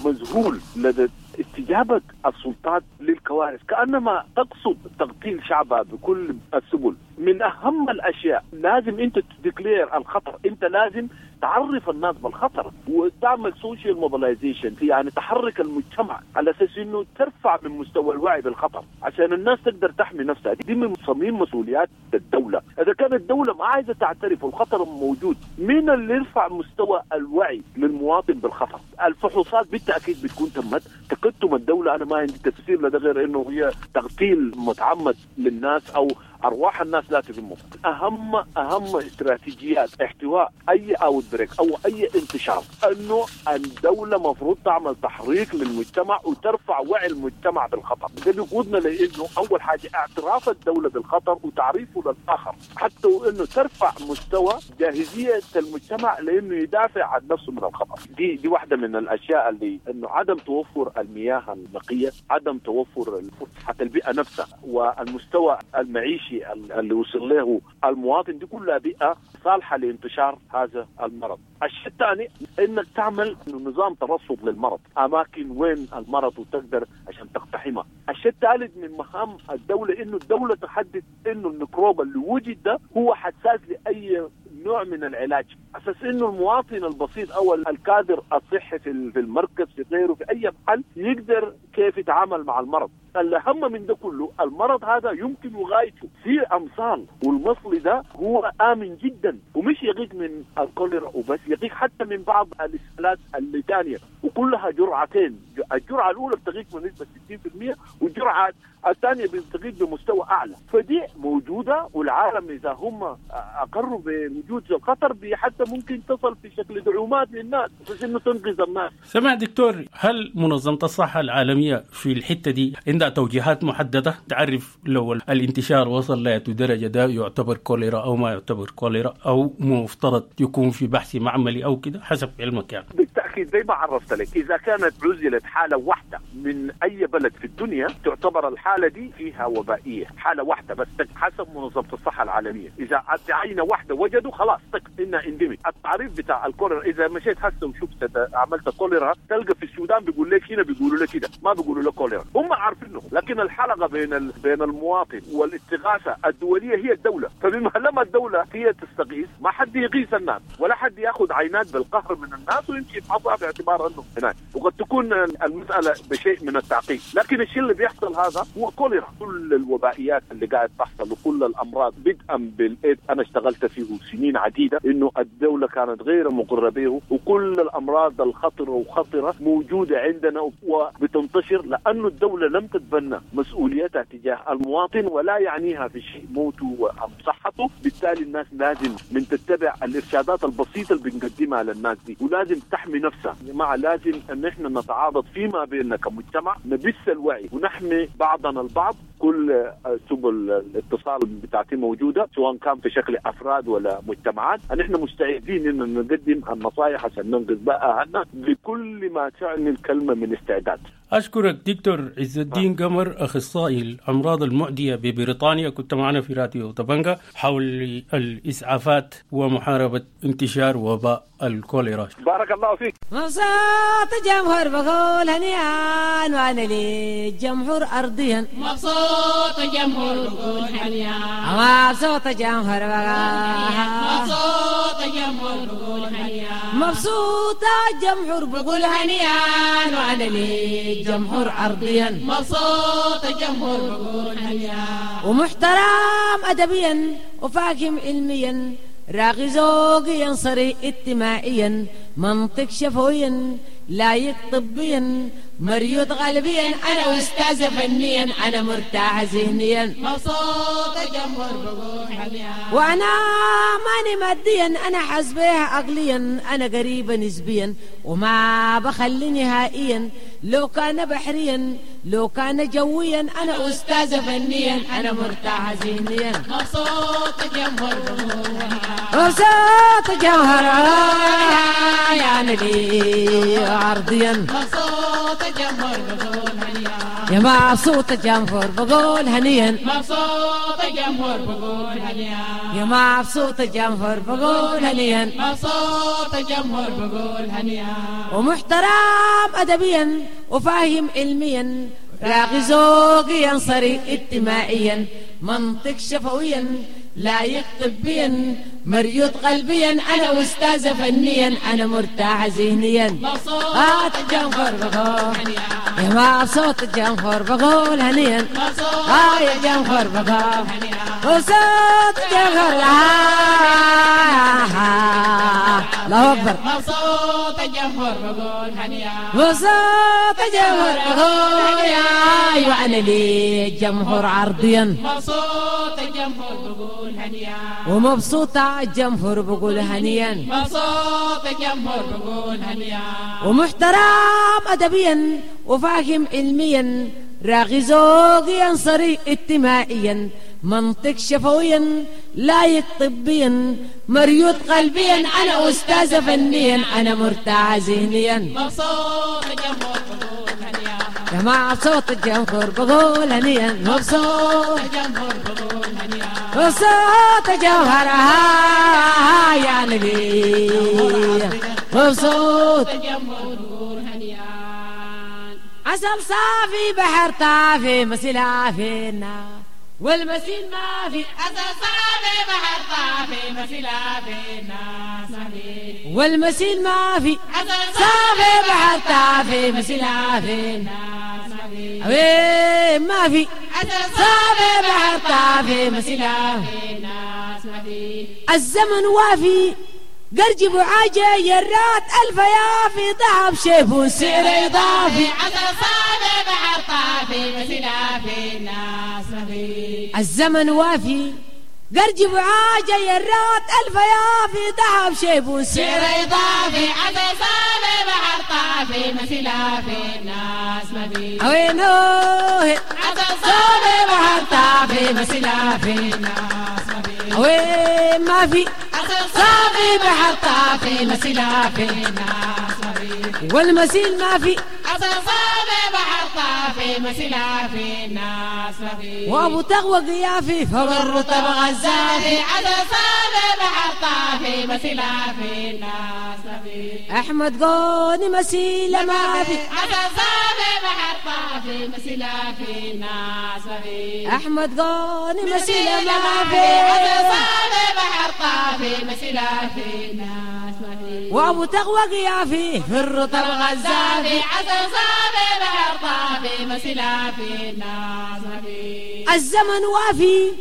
مذهول لدى استجابة السلطات للكوارث، كأنما تقصد تقتيل شعبها بكل السبل. من أهم الأشياء لازم أنت ت declare الخطر، أنت لازم تعرف الناس بالخطر وتعمل social mobilization، يعني تحرك المجتمع على أساس أنه ترفع من مستوى الوعي بالخطر عشان الناس تقدر تحمي نفسها. دي من صميم مسؤوليات الدولة. إذا كانت الدولة ما عايزة تعترف والخطر موجود، مين اللي يرفع مستوى الوعي للمواطن بالخطر؟ الفحوصات بالتأكيد بتكون تمت. تقدم الدولة أنا ما عندي تفسير لده غير أنه هي تغتيل متعمد للناس أو أرواح الناس لا تهمهم. أهم أهم استراتيجيات احتواء أي outbreak أو أي انتشار أنه الدولة مفروض تعمل تحريك للمجتمع وترفع وعي المجتمع بالخطر. ده بيقودنا لأنه أول حاجة اعتراف الدولة بالخطر وتعريفه للآخر، حتى وأنه ترفع مستوى جاهزية المجتمع لأنه يدافع عن نفسه من الخطر. دي دي واحدة من الأشياء اللي أنه عدم توفر المياه النقية، عدم توفر حتى البيئة نفسها والمستوى المعيشي اللي وصل له المواطن، دي كلها بيئة صالحة لانتشار هذا المرض. الشيء الثاني انك تعمل نظام ترصد للمرض، اماكن وين المرض وتقدر عشان تقتحمها. الشيء الثالث من مهام الدولة انه الدولة تحدد انه الميكروب اللي وجد ده هو حساس لاي نوع من العلاج، اساس انه المواطن البسيط او الكادر الصحي في المركز في غيره في اي محل يقدر كيف يتعامل مع المرض. الأهم من ده كله المرض هذا يمكن وغايته في أمصال، والمصل ده هو آمن جدا ومش يغيك من الكوليرا وبس، يغيك حتى من بعض الإسهالات الثانية، وكلها جرعتين. الجرعة الأولى بتغيك بنسبة ستين بالمئة والجرعة الثانية بتغيك بمستوى أعلى. فدي موجودة، والعالم إذا هم أقروا بوجود الخطر حتى ممكن تصل في شكل دعومات للناس بس إنه تنقذ الناس. سمع دكتور، هل منظمة الصحة العالمية في الحتة دي عندها توجيهات محددة تعرف لو الانتشار وصل لأي درجة ده يعتبر كوليرا أو ما يعتبر كوليرا، أو مفترض يكون في بحث معملي أو كده حسب علمك يعني؟ بالتأكيد اخي زي ما عرفت لك، اذا كانت عزلت حاله واحدة من اي بلد في الدنيا تعتبر الحالة دي فيها وبائيه، حاله واحدة بس حسب منظمة الصحة العالمية. اذا عينه واحدة وجدوا خلاص انها endemic. التعريف بتاع الكوليرا اذا مشيت هسه وشفت عملت كوليرا تلقى في السودان بيقول لك هنا بيقولوا لك كده، ما بيقولوا لك كوليرا، هم عارفينه. لكن الحلقة بين ال... بين المواطن والاستغاثة الدولية هي الدولة، فبما لما الدولة هي تستغيث ما حد يغيث الناس ولا حد ياخذ عينات بالقهر من الناس ويمشي يفحصها باعتبار انه هناك، وقد تكون المسالة بشيء من التعقيد. لكن الشيء اللي بيحصل هذا هو كوليرا. كل الوبائيات اللي قاعد تحصل وكل الامراض بدءا بالايدز، انا اشتغلت فيه سنين عديدة انه الدولة كانت غير مقره به، وكل الامراض الخطرة وخطره موجودة عندنا وبتنتشر لانه الدولة لم تتبنى مسؤوليتها تجاه المواطن ولا يعنيها في شيء موته ام صحته. بالتالي الناس لازم من تتبع الارشادات البسيطة اللي بنقدمها للناس دي، ولازم تحمي نفسها. يا جماعة لازم ان احنا نتعاضد فيما بيننا كمجتمع، نبث الوعي ونحمي بعضنا البعض. كل سبل الاتصال بتاعتي موجودة سواء كان في شكل افراد ولا مجتمعات. نحن مستعدين ان نقدم النصائح عشان ننقذ بقى اهلنا بكل ما تعني الكلمة من استعداد. أشكرك دكتور عز الدين قمر، أخصائي الأمراض المعدية ببريطانيا، كنت معنا في راديو دبنجا حول الإسعافات ومحاربة انتشار وباء الكوليرا. بارك الله فيك. مبسوط الجمهور بقول هنيئا وأنا للجمهور أرضيا. مبسوط الجمهور بقول هنيئا. مبسوط الجمهور بقول مبسوط الجمهور بقول هنيئا. مبسوط الجمهور بقول هنيئا وأنا للجمهور أرضيا. مبسوط الجمهور بقول هنيئا. ومحترم أدبيا وفاهم علميا، راغي ذوقيا صريح اجتماعيا، منطق شفويا لايق طبيا، مريض غالبيا، انا استاذ فنيا، انا مرتاح ذهنيا. مبسوط الجمهور بقول هنيئا. وانا ماني ماديا، انا حاسبها عقليا، انا قريبه نسبيا وما بخلي نهائيا، لو كان بحريا لو كان جويا، انا استاذ فنيا، انا مرتاح ذهنيا. مبسوط الجمهور بقول هنيئا. مبسوط الجمهور يا نبي عرضيا. مبسوط الجمهور بقول هنيئا. يا مبسوط الجمهور بقول هنيئا. مبسوط الجمهور بقول هنيئا. يا مبسوط الجمهور بقول هنيئا. مبسوط الجمهور بقول هنيئا. ومحترم أدبيا وفاهم علميا، راغي ذوقيا صريح اجتماعيا، منطق شفويا لايق طبيا، مريض قلبيا، انا استاذ فنيا، انا مرتاح ذهنيا. مبسوط الجمهور بقول هنيئا. يا مبسوط الجمهور بقول هنيئا. مبسوط يا الجمهور بقول هنيئا. مبسوط الجمهور الله اكبر. مبسوط الجمهور بقول هنيئا. مبسوط الجمهور بقول هنيئا. وانا للجمهور عرضيا. مبسوط الجمهور بقول هنيئا. ومبسوطة الجمهور بقول هنيئا. مبسوط الجمهور بقول هنيئا. ومحترم أدبيا وفاهم علميا، راغي ذوقيا صريح اجتماعيا، منطق شفويا لايق طبيا، مريض قلبيا، انا استاذ فنيا، انا مرتاح ذهنيا. مبسوط الجمهور بقول هنيئا. يا مبسوط الجمهور بقول هنيئا. مبسوط الجمهور بقول هنيئا. مبسوط الجوهر يا نبي. مبسوط الجمهور بقول هنيئا. عسل صافي بحر طافي مسيلة فينا والمسيل ما في. عسل صافي بحر طافي مسيلة فينا والمسيل ما في. عسل صافي بحر طافي مسيلة فينا وين ما في. عسل صافي بحر طافي مسيلة فينا. الزمن وافي قرجب وعاجة يرات ألف يافي ذهب شيف وسعر إضافي. عسل صافي بحر طافي مسيلة فينا. الزمن وافي قرجب وعاجة يرات ألف يافي ذهب شيف وسعر إضافي. عسل صافي بحر طافي مسيلة فينا. وينه عسل صافي بحر طافي مسيلة فينا. وين ما في. عسل صافي بحر طافي مسيلة فينا. في والمسيل ما في حسن صافي بحر طافي مسيلة في الناس ما في وابو تقوى قيافي فوق الرطب غزافي حسن صافي بحر طافي مسيلة في الناس ما في احمد قوني مسيلة ما في حسن صافي بحر طافي مسيلة في الناس ما في احمد قوني مسيلة ما في حسن صافي بحر طافي مسيلة في الناس ما في وابو تقوى قيافي في الرطب غزافي حسن صافي بحر طافي مسيلة في الناس ما في الزمن وافي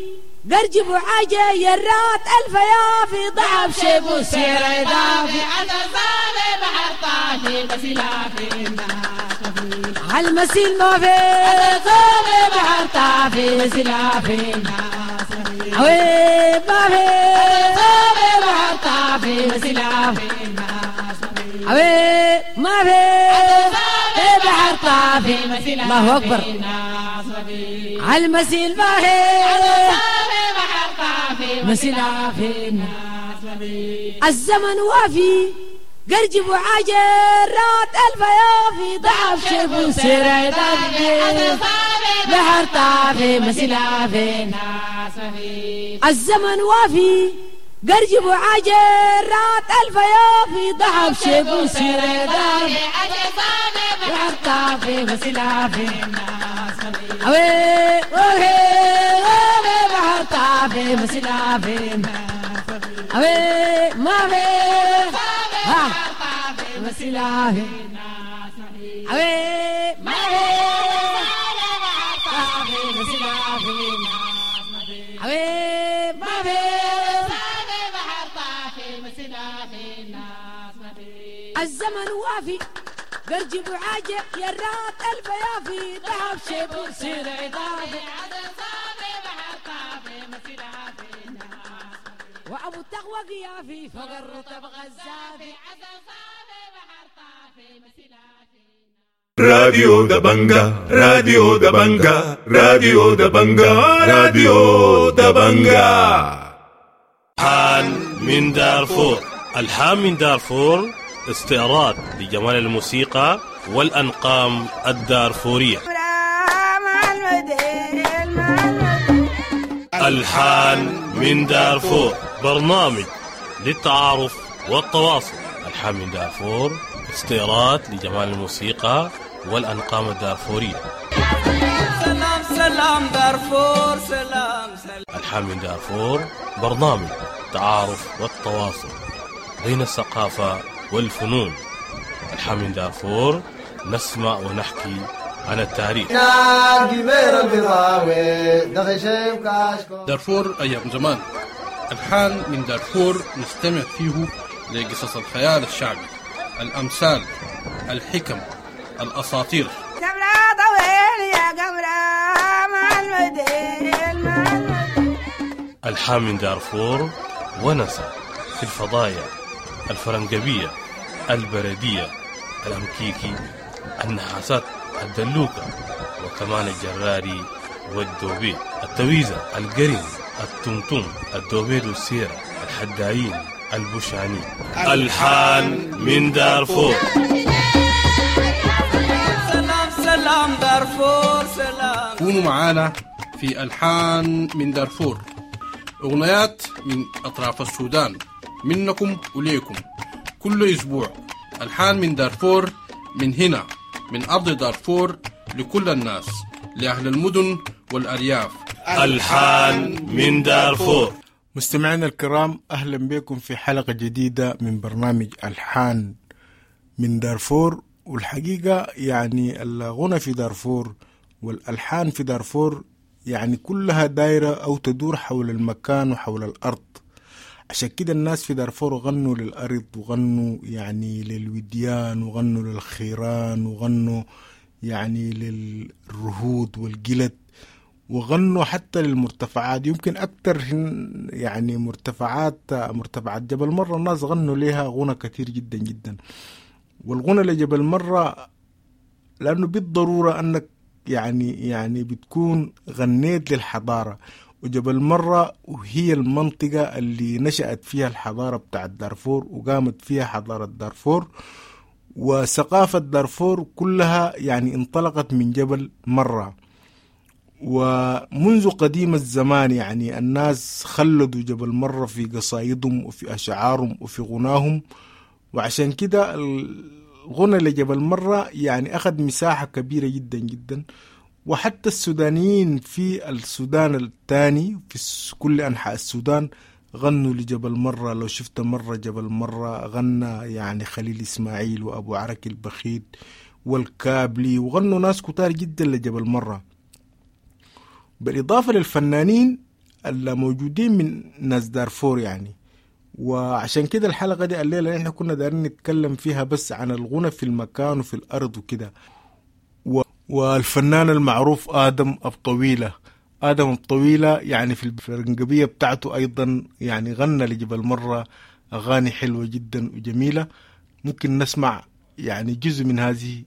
قرجب وعاجة يرات ألف يافي ضعف شيب وسير إضافي حسن صافي بحر طافي مسيلة في الناس ما في عالمسيل ما في صافي بحر طافي مسيلة في الناس ما في عويب ما في صافي بحر طافي مسيلة في الناس ما في عويب ما في صافي بحر طافي مسيلة الله أكبر. في الناس ما في عالمسيل ما في صافي بحر طافي مسيلة في الناس ما في الزمن وافي قرجب وعاجرات ألف يافي ضعف شيب وسير إضافي بحر طافي مسيلة في الناس ما في الزمن وافي قرجب وعاجرات ألف يافي ضعف شيب وسير إضافي بحر طافي مسيلة في الناس ما في أوي أوي أوي بحر طافي مسيلة في أوي ما في ها مسيلة في أوي ما في طافي مسيلة في أوي ما في الزمن وافي قرجب وعاجة يرات ألف يافي ذهب شيب وسير إضافي وأبو التقوى قيافي فوق الرطب غزافي راديو دبنجا راديو دبنجا راديو دبنجا راديو دبنجا. الحان من دارفور. الحان من دارفور استعراض لجمال الموسيقى والأنقام الدارفورية. الحان من دارفور برنامج للتعارف والتواصل. الحان من دارفور استعراض لجمال الموسيقى والأنقام الدارفورية. سلام سلام دارفور سلام سلام. الحان من دارفور برنامج التعارف والتواصل بين الثقافة والفنون. الحان من دارفور نسمع ونحكي عن التاريخ. دارفور أيام زمان. الحان من دارفور نستمع فيه لقصص الخيال الشعبي، الأمثال، الحكم، الأساطير. الحان من دارفور ونسى في الفضايا الفرنجبية، البردية، الأمكيكي، النحاسات، الدلوكة، وكمان الجراري والدوبيت، التويزة، القرن، التمتم، الدوبيت والسيرة، الحدايين، البوشاني. الحان من دارفور. سلام سلام دارفور سلام. كونوا معانا في ألحان من دارفور، أغنيات من أطراف السودان، منكم وليكم كل أسبوع. ألحان من دارفور، من هنا من أرض دارفور، لكل الناس، لأهل المدن والأرياف. ألحان من دارفور. مستمعينا الكرام، أهلا بكم في حلقة جديدة من برنامج ألحان من دارفور. والحقيقة يعني الغنى في دارفور والألحان في دارفور يعني كلها دايرة أو تدور حول المكان وحول الأرض. عشان كده الناس في دارفور غنوا للأرض، وغنوا يعني للوديان، وغنوا للخيران، وغنوا يعني للرهود والجلد، وغنوا حتى للمرتفعات. يمكن أكتر يعني مرتفعات مرتفعات جبل مرة الناس غنوا لها غنى كثير جدا جدا. والغنى لجبل مرة لأنه بالضرورة أنك يعني يعني بتكون غنيت للحضارة، وجبل مرة وهي المنطقة اللي نشأت فيها الحضارة بتاعت دارفور وقامت فيها حضارة دارفور. وثقافة دارفور كلها يعني انطلقت من جبل مرة. ومنذ قديم الزمان يعني الناس خلدوا جبل مرة في قصايدهم وفي أشعارهم وفي غناهم، وعشان كده الغنى لجبل مرة يعني أخذ مساحة كبيرة جدا جدا. وحتى السودانيين في السودان الثاني في كل أنحاء السودان غنوا لجبل مرة. لو شفت مرة جبل مرة غنى يعني خليل إسماعيل وأبو عركي البخيت والكابلي، وغنوا ناس كتار جدا لجبل مرة، بالإضافة للفنانين اللي موجودين من ناس دارفور يعني. وعشان كده الحلقة دي الليلة نحن كنا دارين نتكلم فيها بس عن الغنى في المكان وفي الأرض وكده. و... والفنان المعروف آدم أبطويلة، آدم الطويلة يعني في الفرنجبية بتاعته أيضا يعني غنى لجبل مرة أغاني حلوة جدا وجميلة، ممكن نسمع يعني جزء من هذه.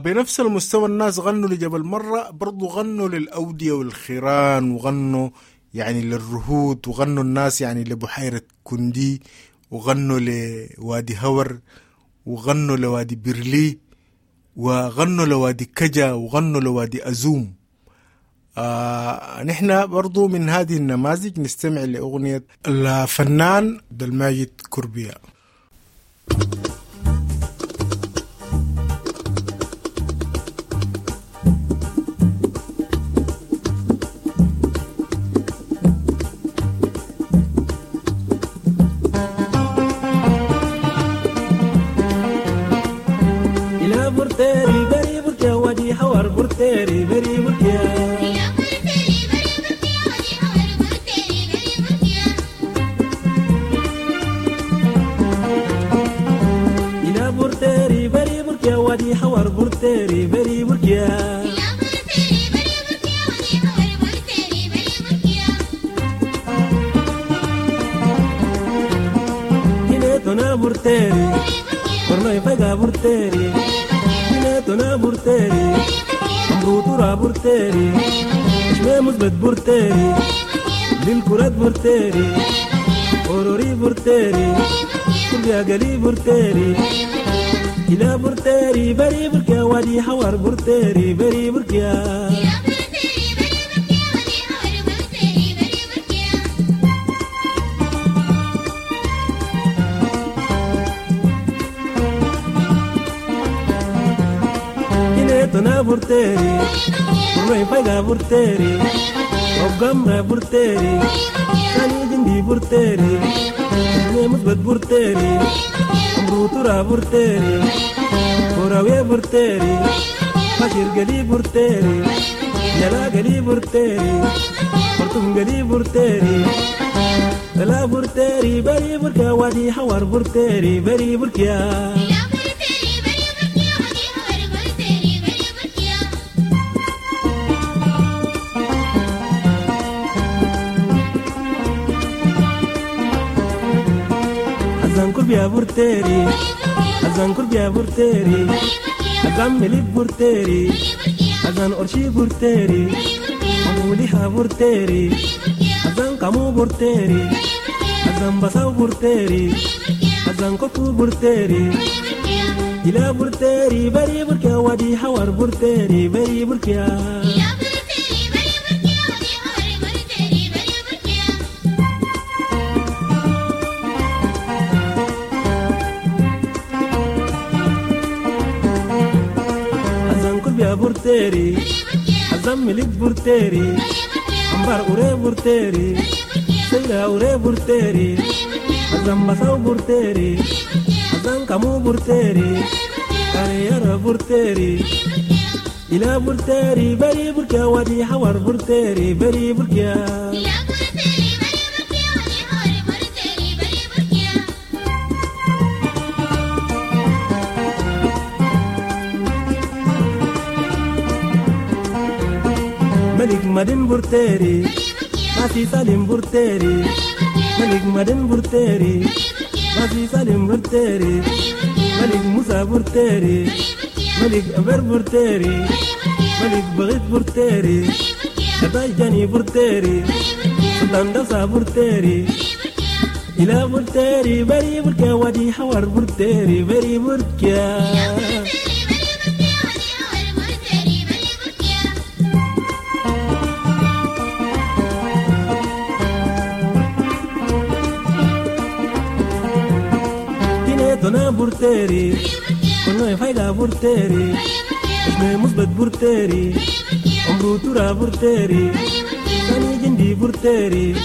وبنفس المستوى الناس غنوا لجبل مرة، برضو غنوا للأودية والخيران، وغنوا يعني للرهود، وغنوا الناس يعني لبحيرة كندي، وغنوا لوادي هور، وغنوا لوادي بيرلي، وغنوا لوادي كجا، وغنوا لوادي أزوم. آه نحن برضو من هذه النماذج نستمع لأغنية الفنان عبد الماجد كربيا. إلى برتيري بري بركة ودي حور برتيري بري بركة إلى برتيري بري بركة ودي حور برتيري بري بركة تنا برتيري ورناي فجا برتيري تنا برتيري أمرو ترى برتيري شمي مثبت برتيري للكرات برتيري أوروري برتيري كل يا قلي برتيري إلى برتيري بري بركة ودي حوار برتيري بري بركة تنا برتيري ورناي فجا برتيري وقمرة برتيري ثاني جندي برتيري شمي مثبت برتيري أمرو ترى برتيري كوراوي برتيري بشير قلي برتيري يلا قلي برتيري خرطوم قلي برتيري لا برتيري بري بركة وادي حوار برتيري بري بركة كربيا برتيري أزان كربيا برتيري أزان مليك برتيري أزان أرشي برتيري أموليها برتيري أزان كامو برتيري أزان بساو برتيري أزان كفو برتيري إلى برتيري بري بركة ودي حوار برتيري بري بركة برتيري أزم ملك برتيري أمبار أوري برتيري سيلا أوري برتيري أزم بساو برتيري أزم كامو برتيري كاريارا برتيري إلى برتيري بري بركة ودي حوار برتيري بري بركة ملك مدن برتيري ماسي سالم برتيري ملك مدن برتيري ماسي سالم برتيري ملك موسى برتيري ملك أبر برتيري ملك بغيت برتيري شتاي جاني برتيري سلطان دوسا برتيري إلى برتيري بري بركة ودي حوار برتيري بري بركة تنا برتيري كنا فايدة برتيري اسمي مثبت برتيري عمرو ترى برتيري ثاني جندي برتيري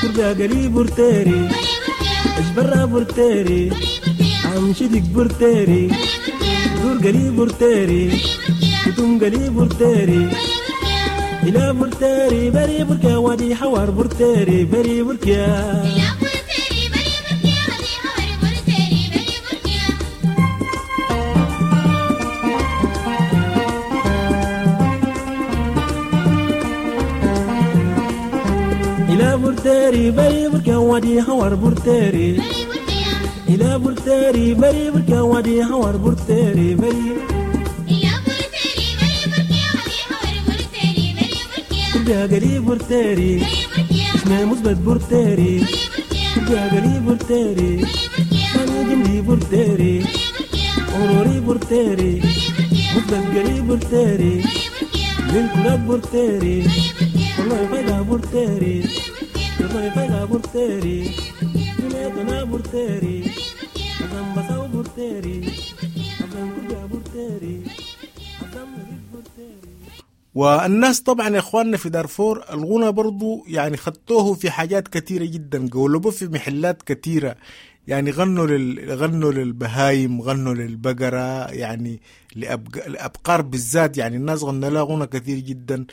كربا قلي برتيري اجبرا برتيري عمشدك برتيري دور قلي برتيري كتم قلي برتيري إلى برتيري بري بركة ودي حوار برتيري بري بركة إلى برتيري بري بركة ودي حوار برتيري إلى برتيري بري بركة ودي حوار برتيري بري. كربيا قريب برتيري اسمي مثبت برتيري كربيا قريب برتيري أنا جنبي برتيري أوروري برتيري مثبت قريب برتيري للكرات برتيري والله فايدة برتيري والله فايدة برتيري دنيتنا برتيري أزم بساو برتيري أزم كربيا برتيري أزم برتيري. والناس طبعا يا اخواننا في دارفور الغنى برضو يعني خدتوه في حاجات كثيرة جدا، قولبوه في محلات كثيرة، يعني غنوا لل... غنوا للبهايم، غنوا للبقرة، يعني لأبق... لأبقار بالذات، يعني الناس غنوا لها غنى كثير جدا.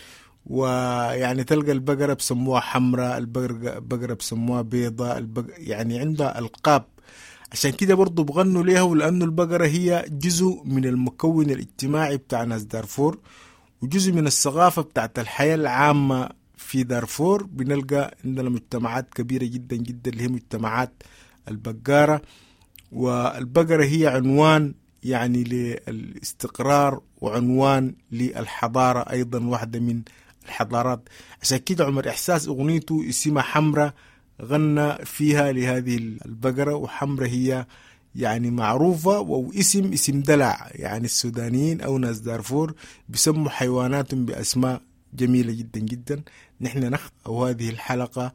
ويعني تلقى البقرة بسموها حمراء، البقرة بقرة بسموها بيضاء، البق... يعني عندها ألقاب. عشان كده برضو بغنوا ليها، ولأنه البقرة هي جزء من المكون الاجتماعي بتاع ناس دارفور وجزء من الثقافة بتاعت الحياة العامة في دارفور. بنلقى عندنا مجتمعات كبيرة جدا جدا اللي هي مجتمعات البقارة، والبقرة هي عنوان يعني للاستقرار وعنوان للحضارة أيضا، واحدة من الحضارات. عشان كده عمر إحساس أغنيته اسمها حمرة غنى فيها لهذه البقرة، وحمرة هي يعني معروفة واسم اسم دلع، يعني السودانيين أو ناس دارفور بيسموا حيواناتهم بأسماء جميلة جدا جدا. نحن نختم هذه الحلقة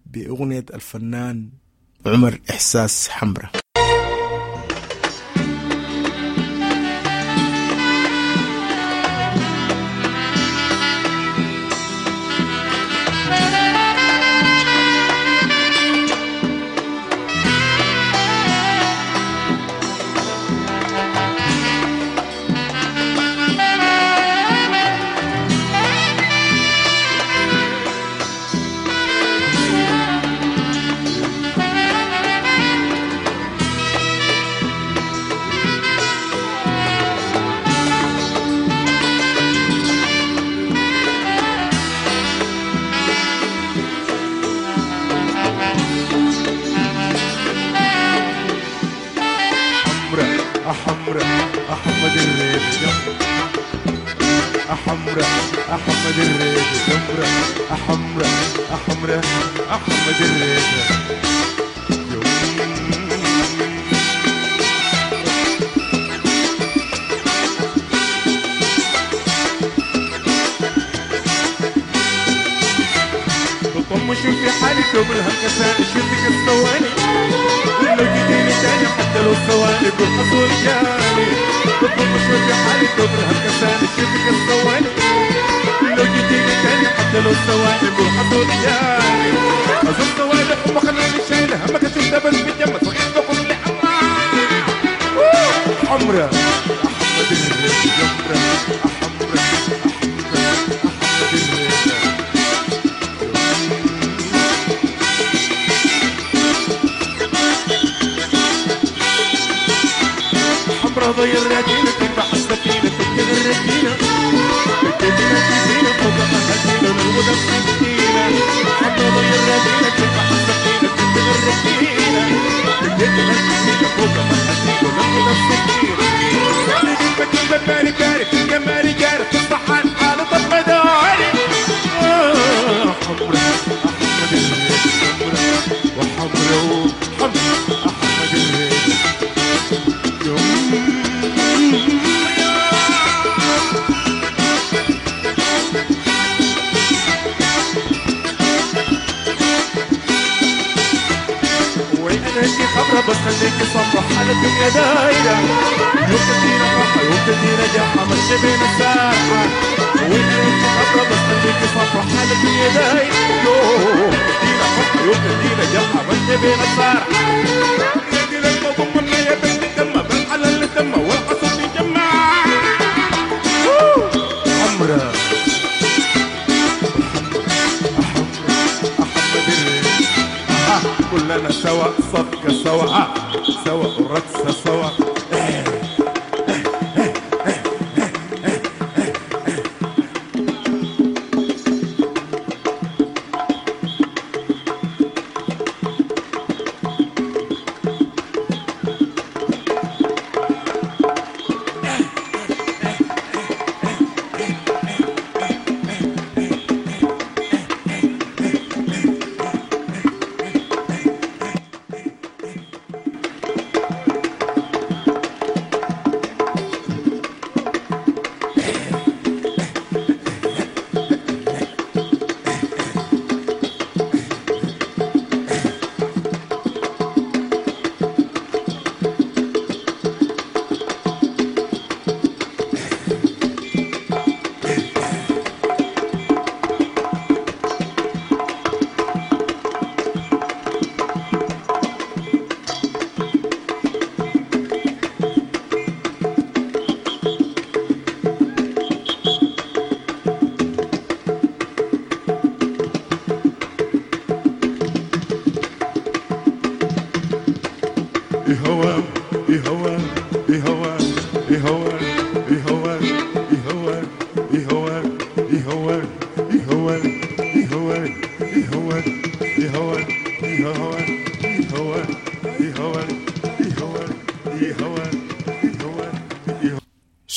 بأغنية الفنان عمر إحساس حمرة.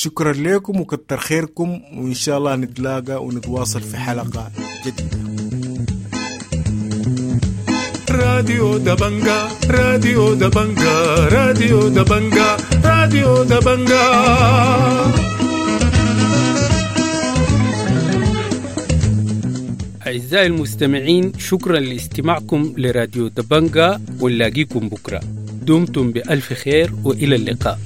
شكرا لكم وكتر خيركم، وإن شاء الله نتلاقى ونتواصل في حلقة جديدة. راديو دبنجا، راديو دبنجا، راديو دبنجا، راديو دبنجا. أعزائي المستمعين، شكرا لاستماعكم لراديو دبنجا، ونلاقيكم بكرة. دمتم بألف خير وإلى اللقاء.